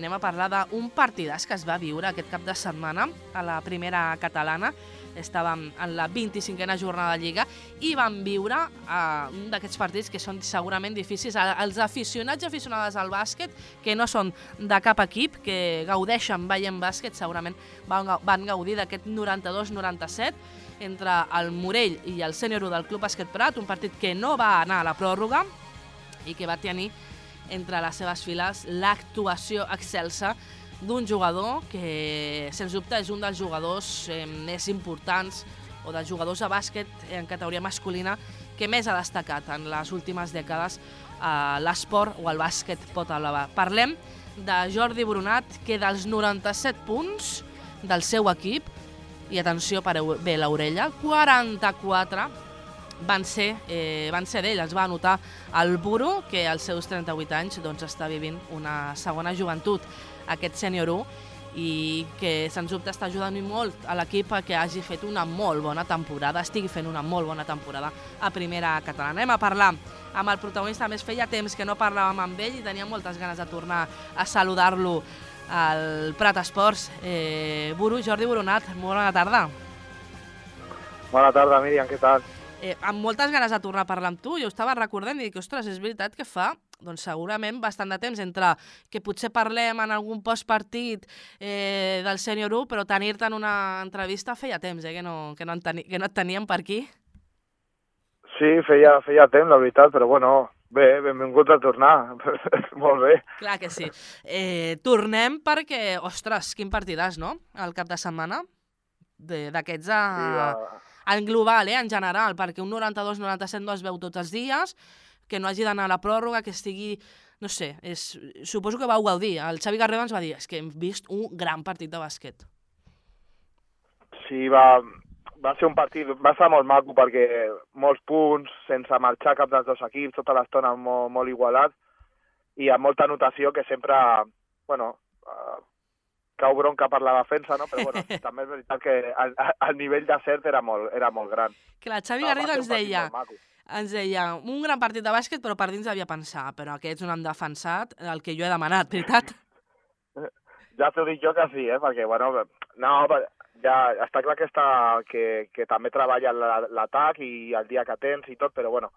anem a parlar d'un partidàs que es va viure aquest cap de setmana a la primera catalana. Estàvem en la 25a jornada de Lliga i vam viure un d'aquests partits que són segurament difícils. Els aficionats i aficionades al bàsquet, que no són de cap equip, que gaudeixen veient bàsquet, segurament van gaudir d'aquest 92-97 entre el Morell i el Sènior 1 del Club Bàsquet Prat, un partit que no va anar a la pròrroga i que va tenir entre les seves files l'actuació excelsa d'un jugador que, sens dubte, és un dels jugadors més importants o dels jugadors de bàsquet en categoria masculina que més ha destacat en les últimes dècades a l'esport o al bàsquet pot elevar. Parlem de Jordi Brunat, que dels 97 punts del seu equip, i atenció, pareu bé l'orella, 44 van ser d'ell. Els va anotar el Buru, que als seus 38 anys doncs, està vivint una segona joventut, aquest Sènior 1, i que sens dubte està ajudant molt a l'equip que hagi fet una molt bona temporada, estigui fent una molt bona temporada a primera catalana. Anem a parlar amb el protagonista. Més feia temps que no parlàvem amb ell i tenia moltes ganes de tornar a saludar-lo al Prat Esports. Buru, Jordi Brunat, molt bona tarda. Bona tarda, Míriam, què tal? Amb moltes ganes de tornar a parlar amb tu. Jo estava recordant i dic, ostres, és veritat que fa doncs segurament bastant de temps entre que potser parlem en algun postpartit del Sènior 1, però tenir-te en una entrevista feia temps, que no et teníem per aquí. Sí, feia temps, la veritat, però bueno, bé, benvinguts a tornar. Molt bé. Clar que sí. Tornem perquè, ostres, quin partidàs, no?, el cap de setmana d'aquests en global, en general, perquè un 92-97 no es veu tots els dies, que no hagi d'anar a la pròrroga, que estigui, no sé, suposo que vau gaudir. El Xavi Garrido ens va dir, és que hem vist un gran partit de bàsquet. Sí, va ser un partit, va estar molt maco perquè molts punts, sense marxar cap dels dos equips, tota l'estona molt igualat i amb molta anotació que sempre, bueno, cau bronca per la defensa, no? Però bueno, també és veritat que el nivell de cert era molt gran. Clar, Xavi Garrido ens deia un gran partit de bàsquet, però per dins devia pensar, però aquests no han defensat el que jo he demanat, veritat? Ja t'ho dic jo que sí, perquè, bueno, no, ja està clar que també treballa l'atac i el dia que tens i tot, però, bueno,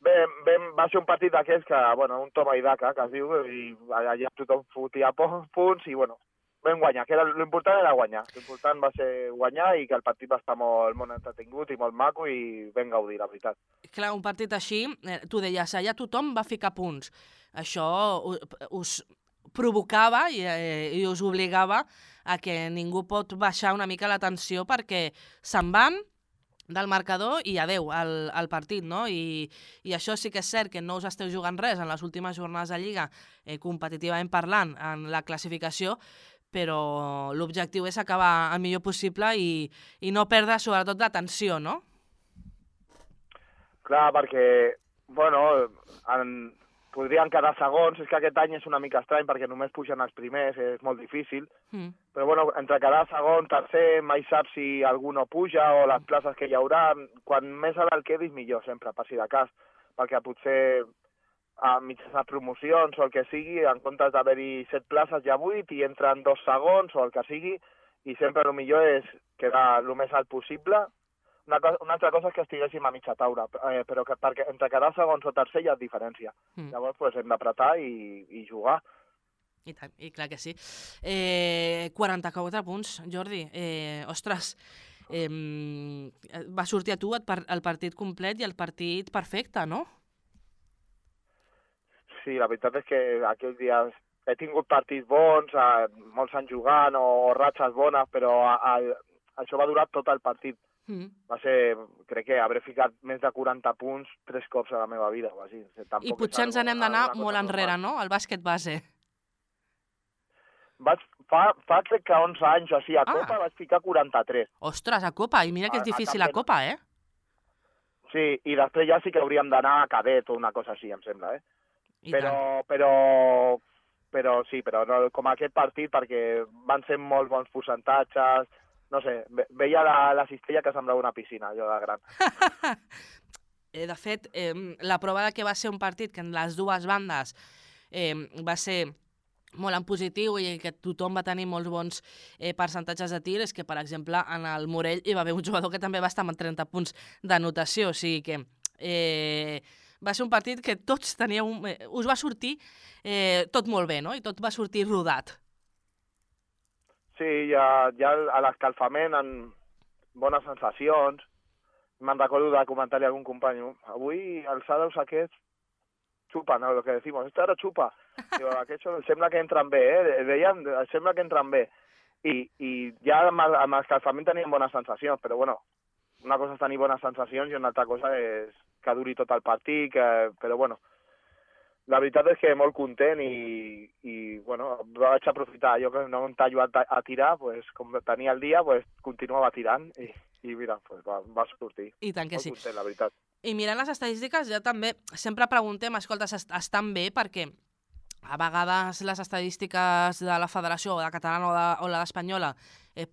va ser un partit d'aquests que, bueno, un toma i daca, que es diu, i allà tothom fotia punts i, bueno, vam guanyar, que l'important era guanyar. L'important va ser guanyar i que el partit va estar molt entretingut i molt maco i vam gaudir, la veritat. Clar, un partit així, tu deies, allà tothom va ficar punts. Això us provocava i us obligava a que ningú pot baixar una mica la tensió perquè se'n van del marcador i adeu al partit, no? I això sí que és cert que no us esteu jugant res en les últimes jornades de Lliga, competitivament parlant, en la classificació, però l'objectiu és acabar el millor possible i no perdre sobretot la tensió, no? Clar, perquè, bueno, podrien quedar segons, és que aquest any és una mica estrany perquè només pugen els primers, és molt difícil, però bueno, entre quedar segon, tercer, mai saps si algú no puja o les places que hi haurà, quan més a dalt quedis millor sempre, per si de cas, perquè potser a mitjançant promocions o el que sigui, en comptes d'haver-hi 7 places hi ha 8 i entren 2 segons o el que sigui, i sempre el millor és quedar el més alt possible. Una altra cosa és que estiguéssim a mitja taula, però perquè entre quedar segons o tercer hi ha diferència. Llavors pues, hem d'apretar i jugar. I tant, i clar que sí. 44 punts, Jordi. Ostres, va sortir a tu el partit complet i el partit perfecte, no? Sí, la veritat és que aquells dies he tingut partits bons, molts anys jugant o ratxes bones, però això va durar tot el partit. Va ser, crec que hauré ficat més de 40 punts 3 cops a la meva vida. O així. I potser ens n'hem d'anar molt enrere, no?, al bàsquet base. Fa crec que 11 anys o així, a Copa vaig ficar 43. Ostres, a Copa, i mira que és difícil a Copa, Sí, i després ja sí que hauríem d'anar a cadet o una cosa així, em sembla, Però sí, però no, com aquest partit, perquè van ser molt bons percentatges, no sé, veia la cistella que semblava una piscina, allò de gran. De fet, la prova de que va ser un partit que en les dues bandes va ser molt en positiu i que tothom va tenir molts bons percentatges de tir és que, per exemple, en el Morell hi va haver un jugador que també va estar amb 30 punts d'anotació, o sigui que va ser un partit que tots teníeu... us va sortir tot molt bé, no? I tot va sortir rodat. Sí, ja a l'escalfament, en bones sensacions. Me'n recordo de comentar-li a algun company, avui els Shadows aquests xupa, no? Lo que decimos, esto ara xupa. Digo, aquests sembla que entren bé, deien, sembla que entren bé. I ja amb l'escalfament teníem bones sensacions, però bueno, una cosa és tenir bones sensacions i una altra cosa és que duri tot el partit, però bueno, la veritat és que molt content i bueno, vaig aprofitar. Jo que no em tallo a tirar, pues, com tenia el dia, pues, continuava tirant i mira, pues, va sortir. I tant que sí. Molt content, la veritat. I mirant les estadístiques, ja també sempre preguntem, escolta, estan bé? Perquè a vegades les estadístiques de la federació, o de catalana o la d'espanyola,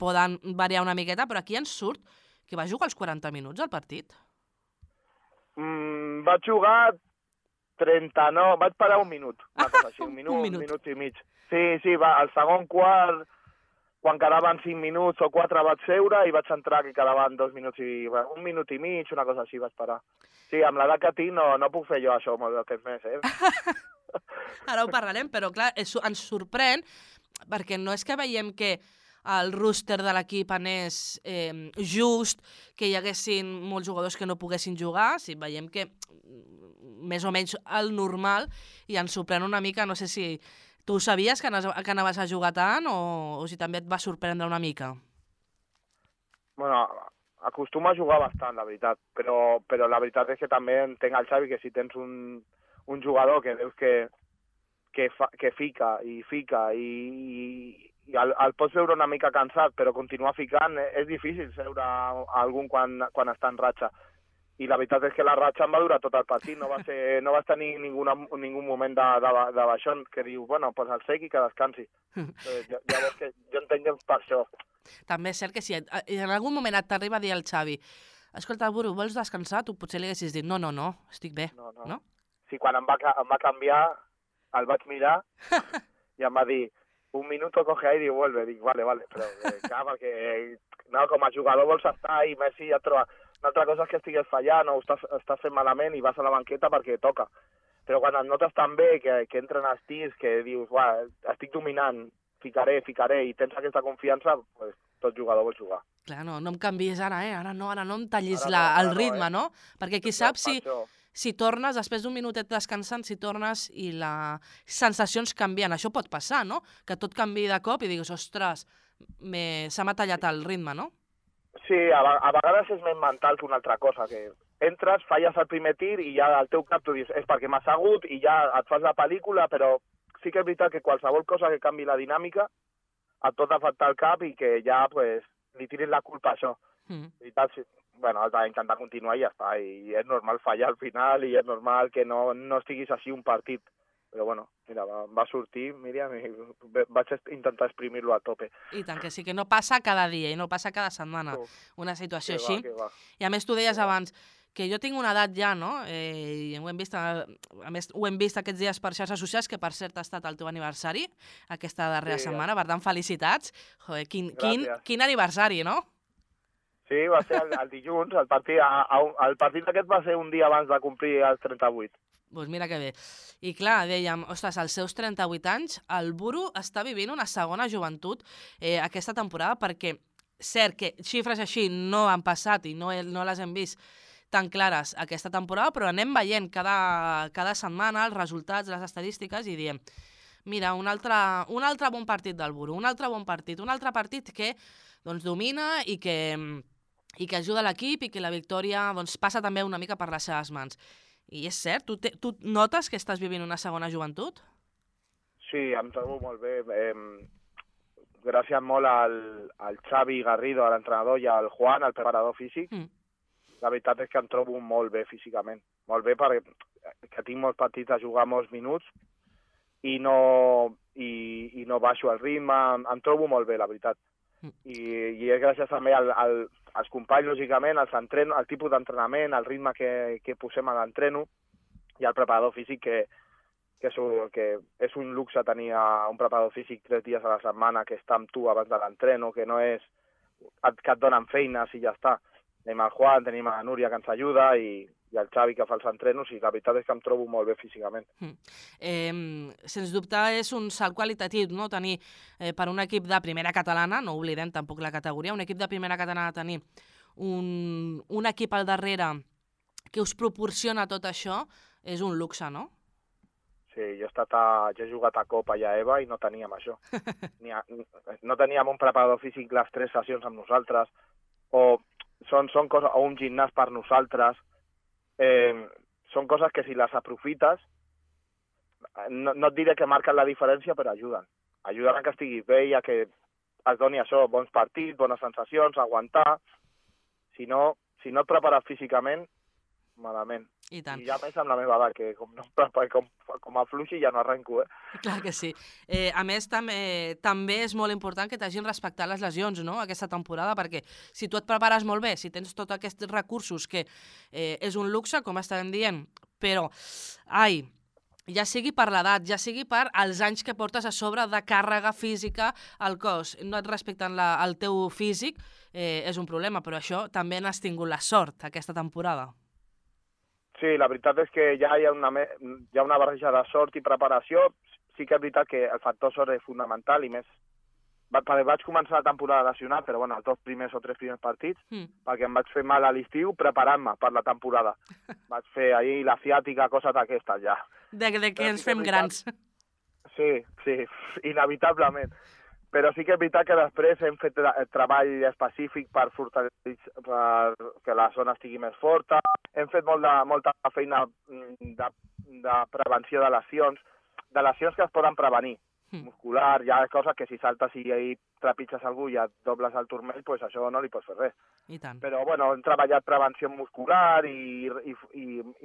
poden variar una miqueta, però aquí ens surt que va jugar els 40 minuts al partit. Vaig jugar 39, vaig parar un minut, una cosa així, un minut i mig. Sí, el segon quart, quan quedaven 5 minuts o 4 vaig seure i vaig entrar que quedaven 2 minuts i... un minut i mig, una cosa així vaig parar. Sí, amb l'edat que tinc no puc fer jo això molt de temps més, Ara ho parlarem, però clar, ens sorprèn, perquè no és que veiem que el roster de l'equip anés just, que hi haguessin molts jugadors que no poguessin jugar, si veiem que més o menys el normal, i ens sorprèn una mica, no sé si tu sabies que anaves a jugar tant o si també et va sorprendre una mica. Bueno, acostumo a jugar bastant, la veritat, però la veritat és que també entenc el Xavi que si tens un jugador que veus que fica i el pots veure una mica cansat, però continuar ficant, és difícil seure algun quan està en ratxa. I la veritat és que la ratxa em va durar tot el partit, no vas tenir ningú moment de baixón que diu, bueno, pues el segui que descansi. Llavors que jo entenc que és per això. També és cert que si en algun moment t'arriba a dir el Xavi, escolta, Buru, vols descansar? Tu potser li haguessis dit, no, estic bé, no? Sí, quan em va canviar, el vaig mirar i em va dir, un minuto coge aire i vuelve. Dic, vale, però clar, perquè no, com a jugador vols estar i Messi ja troba... Una altra cosa és que estigues fallant o estàs fent malament i vas a la banqueta perquè toca. Però quan et notes tan bé que entren els tirs, que dius, estic dominant, ficaré, i tens aquesta confiança, pues, tot jugador vol jugar. Clar, no em canvies ara, ara no em tallis el ritme, no? Perquè qui sap si tornes, després d'un minutet descansant, si tornes i les sensacions canvien. Això pot passar, no? Que tot canvi de cop i digues, ostres, se m'ha tallat el ritme, no? Sí, a vegades és més mental que una altra cosa, que entres, falles el primer tir i ja al teu cap tu dius, és perquè m'ha assegut i ja et fas la pel·lícula, però sí que és veritat que qualsevol cosa que canvi la dinàmica et pot afectar el cap i que ja pues, li tiris la culpa a això. Veritat, sí. Bueno, has d'intentar continuar i ja està, i és normal fallar al final i és normal que no estiguis així un partit. Però bueno, mira, va sortir, Míriam, i vaig intentar exprimir-lo a tope. I tant que sí, que no passa cada dia i no passa cada setmana una situació així. I a més tu deies abans que jo tinc una edat ja, no? I ho hem vist aquests dies per xarxes socials, que per cert ha estat el teu aniversari aquesta darrera setmana, per tant felicitats. Joder, quin aniversari, no? Sí, va ser el dilluns, el partit aquest va ser un dia abans de complir els 38. Doncs mira que bé. I clar, dèiem, ostres, als seus 38 anys, el Buru està vivint una segona joventut aquesta temporada, perquè cert que xifres així no han passat i no les hem vist tan clares aquesta temporada, però anem veient cada setmana els resultats, les estadístiques, i diem, mira, un altre bon partit del Buru, un altre bon partit, un altre partit que doncs, domina i que ajuda l'equip i que la victòria doncs, passa també una mica per les seves mans. I és cert? Tu notes que estàs vivint una segona joventut? Sí, em trobo molt bé. Gràcies molt al Xavi Garrido, a l'entrenador, i al Juan, el preparador físic. La veritat és que em trobo molt bé físicament. Molt bé perquè tinc molts partits a jugar molts minuts i no baixo el ritme. Em trobo molt bé, la veritat. I és gràcies també als companys, lògicament, al tipus d'entrenament, al ritme que posem a l'entreno i al preparador físic que és un luxe tenir un preparador físic 3 dies a la setmana que està amb tu abans de l'entreno, que no és que et donen feines i ja està. Tenim el Juan, tenim la Núria que ens ajuda i el Xavi que fa els entrenos i la veritat és que em trobo molt bé físicament. Sens dubte és un salt qualitatiu, no? Tenir per un equip de primera catalana, no oblidem tampoc la categoria, un equip de primera catalana tenir un equip al darrere que us proporciona tot això és un luxe, no? Sí, jo he jugat a Copa i a EVA i no teníem això. No teníem un preparador físic les 3 sessions amb nosaltres, o són coses, o un gimnàs per nosaltres. Són coses que si les aprofites, no et diré que marquen la diferència, però ajuden. Ajuden a que estiguis bé i a que es doni això, bons partits, bones sensacions, aguantar. Si no et prepares físicament, malament. I tant. I ja més amb la meva edat, que com afluixi ja no arrenco, Clar que sí. A més, també és molt important que t'hagin respectat les lesions, no?, aquesta temporada, perquè si tu et prepares molt bé, si tens tots aquests recursos, que és un luxe, com estàvem dient, però, ja sigui per l'edat, ja sigui per els anys que portes a sobre de càrrega física al cos, no et respecten el teu físic, és un problema, però això també n'has tingut la sort aquesta temporada. Sí, la veritat és que ja hi ha una barreja de sort i preparació. Sí que és veritat que el factor sort és fonamental i més... Vaig començar la temporada lesionat, però bueno, els 2 primers o 3 primers partits, perquè em vaig fer mal a l'estiu preparant-me per la temporada. Vaig fer ahir la ciàtica, coses d'aquestes ja. De que ens fem grans. Sí, inevitablement. Però sí que és veritat que després hem fet treball específic per que la zona estigui més forta. Hem fet molta feina de prevenció de lesions que es poden prevenir. Muscular, hi ha coses que si saltes i trepitges algú i et dobles el turmell, doncs això no li pots fer res. I tant. Però bueno, hem treballat prevenció muscular i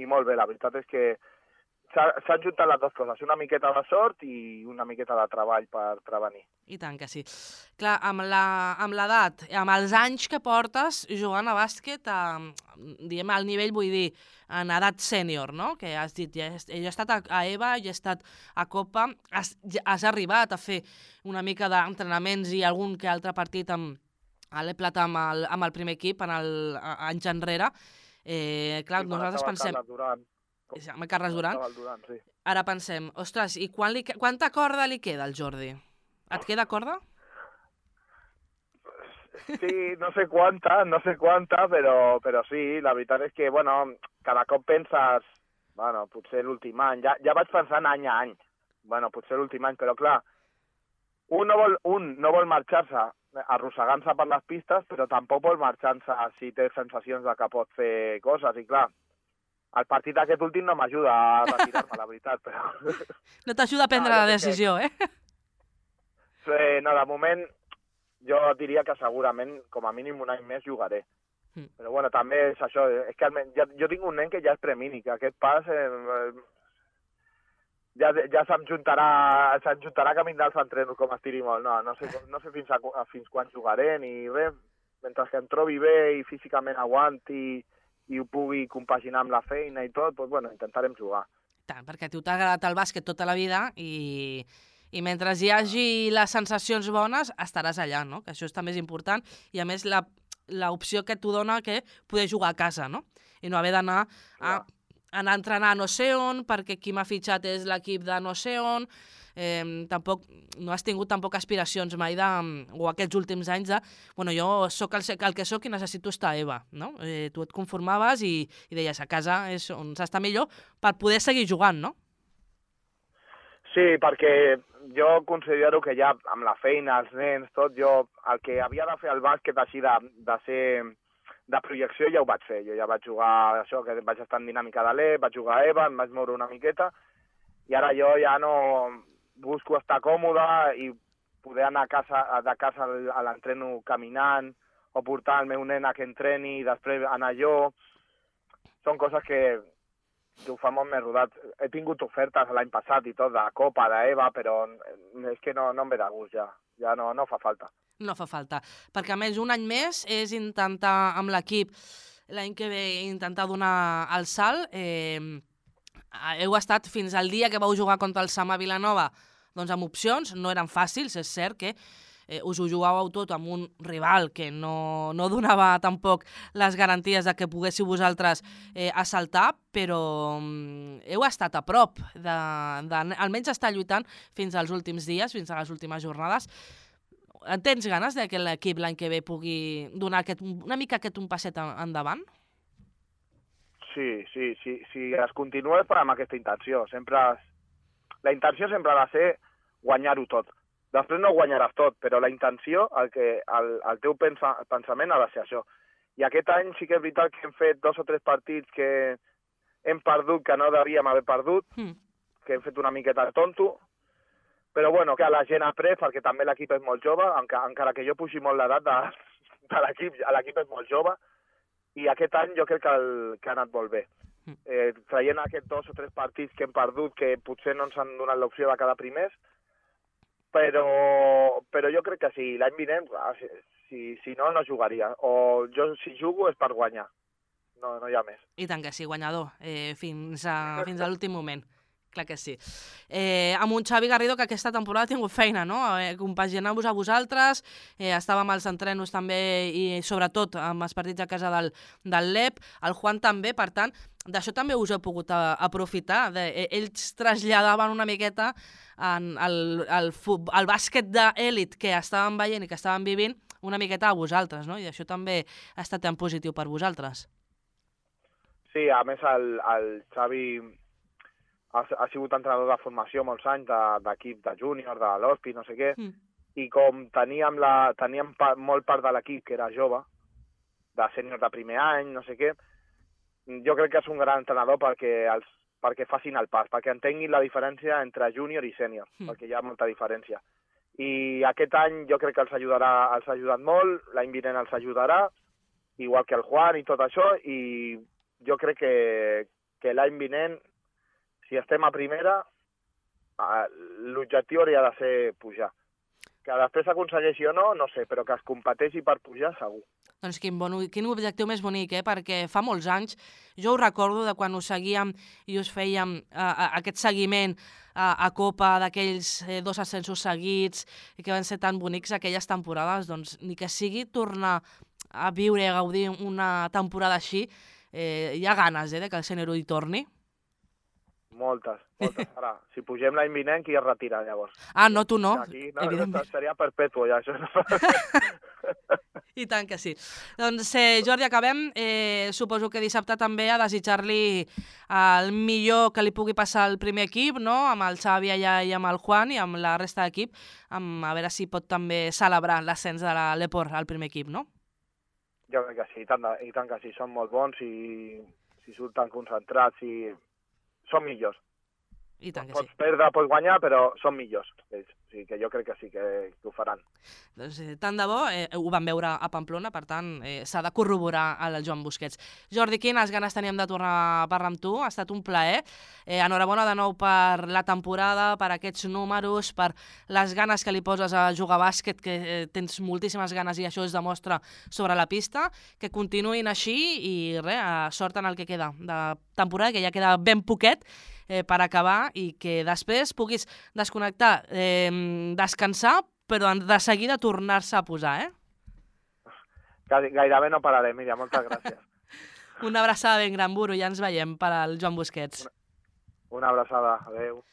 molt bé. La veritat és que s'han juntat les dues coses, una miqueta de sort i una miqueta de treball per prevenir. I tant que sí. Clar, amb l'edat, amb els anys que portes jugant a bàsquet, diguem al nivell, vull dir, en edat sènior, no?, que has dit, jo he estat a EVA, jo he estat a Copa, has arribat a fer una mica d'entrenaments i algun que altre partit a l'Eplat amb el primer equip anys enrere. Clar, nosaltres pensem... Amb Carles Duran. Sí. Ara pensem, ostres, i quanta corda li queda al Jordi? Et queda corda? Sí, no sé quanta, però sí, la veritat és que, bueno, cada cop penses, bueno, potser l'últim any, ja vaig pensant any a any, bueno, potser l'últim any, però clar, un no vol marxar-se arrossegant-se per les pistes, però tampoc vol marxar-se si té sensacions de que pot fer coses, i clar, el partit aquest últim no m'ajuda a retirar-me, la veritat, però... No t'ajuda a prendre la decisió, No, de moment, jo diria que segurament, com a mínim un any més, jugaré. Però bueno, també és això, és que jo tinc un nen que ja és premini, que aquest pas ja se'm juntarà camí dels entrenos com estiri molt. No sé fins quan jugaré ni res. Mentre que em trobi bé i físicament aguanti i ho pugui compaginar amb la feina i tot, doncs bueno, intentarem jugar. Tant, perquè a tu t'ha agradat el bàsquet tota la vida i mentre hi hagi les sensacions bones estaràs allà, no?, que això és també important, i a més l'opció que t'ho dona que poder jugar a casa, no?, i no haver d'anar a entrenar a no sé on, perquè qui m'ha fitxat és l'equip de no sé on. Tampoc no has tingut tampoc aspiracions mai o aquests últims anys de, bueno, jo sóc el que sóc i necessito estar a EVA, no? Tu et conformaves i deies a casa és on s'està millor per poder seguir jugant, no? Sí, perquè jo considero que ja amb la feina, els nens, tot, jo el que havia de fer el bàsquet així de ser de projecció ja ho vaig fer. Jo ja vaig jugar això, que vaig estar en dinàmica de l'E, vaig jugar a EVA, em vaig moure una miqueta i ara jo ja no busco estar còmode i poder anar de casa a l'entreno caminant o portar el meu nen a que entreni i després anar jo. Són coses que ho fa molt més rodat. He tingut ofertes l'any passat i tot, de Copa, d'EVA, però és que no em ve de gust ja. Ja no fa falta. No fa falta, perquè a més un any més és intentar amb l'equip l'any que ve intentar donar el salt. heu estat fins al dia que vau jugar contra el Samà Vilanova, doncs amb opcions, no eren fàcils, és cert que us ho jugàveu tot amb un rival que no donava tampoc les garanties de que poguéssiu vosaltres assaltar, però heu estat a prop almenys estar lluitant fins als últims dies, fins a les últimes jornades. Tens ganes que l'equip l'any que ve pugui donar una mica un passet endavant? Sí, es continua és amb aquesta intenció. La intenció sempre ha de ser guanyar-ho tot. Després no guanyaràs tot, però la intenció, el teu pensament ha de ser això. I aquest any sí que és veritat que hem fet 2 o 3 partits que hem perdut, que no devíem haver perdut, que hem fet una miqueta de tonto, però bueno, que la gent ha après, perquè també l'equip és molt jove, encara que jo pugi molt l'edat de l'equip és molt jove, i aquest any jo crec que ha anat molt bé. Traient aquests 2 o 3 partits que hem perdut, que potser no ens han donat l'opció de quedar primers, però jo crec que sí, l'any vinent, si no jugaria. O jo, si jugo, és per guanyar. No hi ha més. I tant que sí, guanyador, fins a l'últim moment. Clar que sí. Amb un Xavi Garrido que aquesta temporada ha tingut feina, no? Compaginant-vos a vosaltres, estàvem als entrenos també i sobretot amb els partits a casa del LEP, el Juan també, per tant, d'això també us heu pogut aprofitar. Ells traslladaven una miqueta el bàsquet d'èlit que estàvem veient i que estàvem vivint una miqueta a vosaltres, no? I això també ha estat en positiu per vosaltres. Sí, a més el Xavi ha sigut entrenador de formació molts anys, d'equip de júnior, de l'Hospi, no sé què, i com teníem molt part de l'equip que era jove, de sènior de primer any, no sé què, jo crec que és un gran entrenador perquè facin el pas, perquè entenguin la diferència entre júnior i sènior, perquè hi ha molta diferència. I aquest any jo crec que els ha ajudat molt, l'any vinent els ajudarà, igual que el Juan i tot això, i jo crec que l'any vinent, si estem a primera, l'objectiu hauria de ser pujar. Que després s'aconsegueixi o no, no sé, però que es competeixi per pujar, segur. Doncs quin objectiu més bonic, perquè fa molts anys, jo ho recordo de quan us seguíem i us fèiem aquest seguiment a Copa d'aquells 2 ascensos seguits que van ser tan bonics aquelles temporades, doncs ni que sigui tornar a viure i a gaudir una temporada així, hi ha ganes de que el sènior hi torni. Moltes. Ara, si pugem l'any vinent, qui es retira, llavors? No, tu no. Aquí, seria perpètua, ja, això. I tant que sí. Doncs, Jordi, acabem. Suposo que dissabte també a desitjar-li el millor que li pugui passar al primer equip, no? Amb el Xavi allà i amb el Juan i amb la resta d'equip, a veure si pot també celebrar l'ascens de l'Eport al primer equip, no? Jo crec que sí, i tant que sí. Són molt bons i si surten concentrats i són millors. I tant que pots perdre, pots guanyar, però són millors. O sigui que jo crec que sí que ho faran. Doncs tant de bo, ho vam veure a Pamplona, per tant, s'ha de corroborar el Joan Busquets. Jordi, quines ganes teníem de tornar a parlar amb tu, ha estat un plaer. Enhorabona de nou per la temporada, per aquests números, per les ganes que li poses a jugar a bàsquet, que tens moltíssimes ganes i això es demostra sobre la pista. Que continuïn així i sort en el que queda de temporada, que ja queda ben poquet, per acabar i que després puguis desconnectar, descansar, però de seguida tornar-se a posar, Gairebé no pararé, Míriam, moltes gràcies. Una abraçada ben gran, Buru, ja ens veiem per al Joan Busquets. Una abraçada, adeu.